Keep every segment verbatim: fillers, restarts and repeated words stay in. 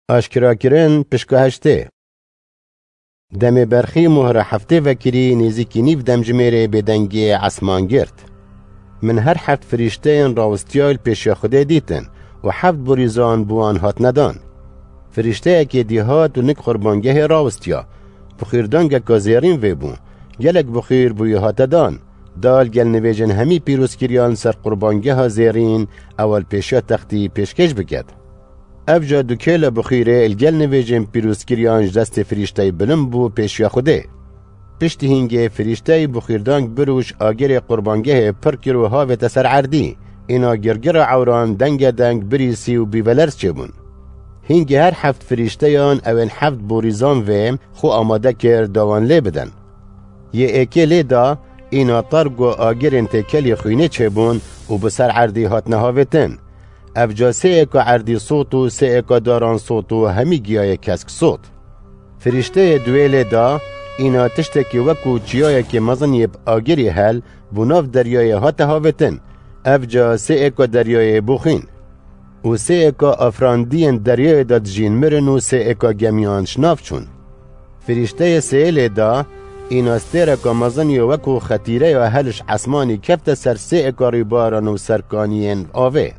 Aşkerakirin pişka heştê. Demê berxî mohra heftê vekirî nêzîkî nîv demjimêrê bêdengiyê esman girt. Min her heft firîşteyên rawistiyayî li pêşiya Xwedê dîtin û heft borîzan bi wan hatine dan. Firîşteyekê dî hat û nik qurbangehê rawistiya. Bixwîrdangeka zêrîn vê bû. Gelek bixwîr bûyî hate dan. Da li gel nivêjên hemî pîrozkiriyan li ser qurbangeha zêrîn ew li pêşiya textî pêşkêş biket. Ev ca du kêla bixwîrê li gel nivêjên pîrozkiriyan ji destê firîşteyî bilind bû pêşiya Xwedê. Piştî hîngê firîşteyî bixwîrdang bir û ji agirê qurbangehê pir kir û havête ser erdî. Îna girgira ewran denge deng birîsî û bîvelerz çêbûn. Hîngê her heft firîşteyan ewên heft borîzan vê xwe amade kir da wan lê bidin. Yê êkê lê da, îna terg û agirên têkelî xwînê çêbûn û bi ser erdî hatine havêtin. Ev ca sê êka erdî sot û sê êka daran sot û hemî giyayê kesk sot. Firîşteyê duwê lê da, îna tiştekî wekû çiyayekê mezin yê bi agirî hel bû nav deryayê hate havêtin. Ev ca sê êka deryayê bû xwîn. Û sê êka afirandiyên deryayê de dijîn mirin û sê êka gemiyan ji nav çûn. Firîşteyê sêyê lê da, îna stêreka mezin yê wekû xetîreya hel ji esmanî kefte ser sê êka rîbaran û serkaniyên avê.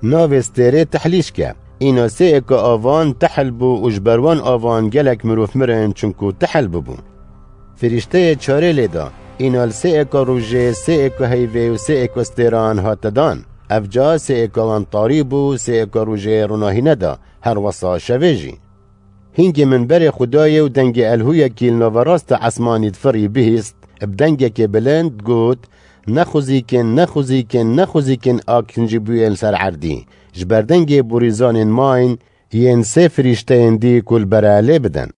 Navê stêrê Tehlîşk e. Îna sê êka avan tehil bû û ji ber wan avan gelek mirov mirin, çunku tehil bibû. Firîşteyê çarê lê da, îna li sê êka rojê, sê êka heyvê û sê êka stêran hate dan. Ev ca sê êka wan tarî bû, sê êka rojê ronahî neda, her wesa şevê jî. Hîngê min berê xwe dayê û dengê elhûyekî li naverasta esmanî difirî bihîst, bi dengekê bilind got, "Nexwizîkin, nexwizîkin, nexwizîkin a kincîbûyên li ser erdî, ji ber dengê borîzanên mayîn yên sê firîşteyên dî ku li bere lê bidin."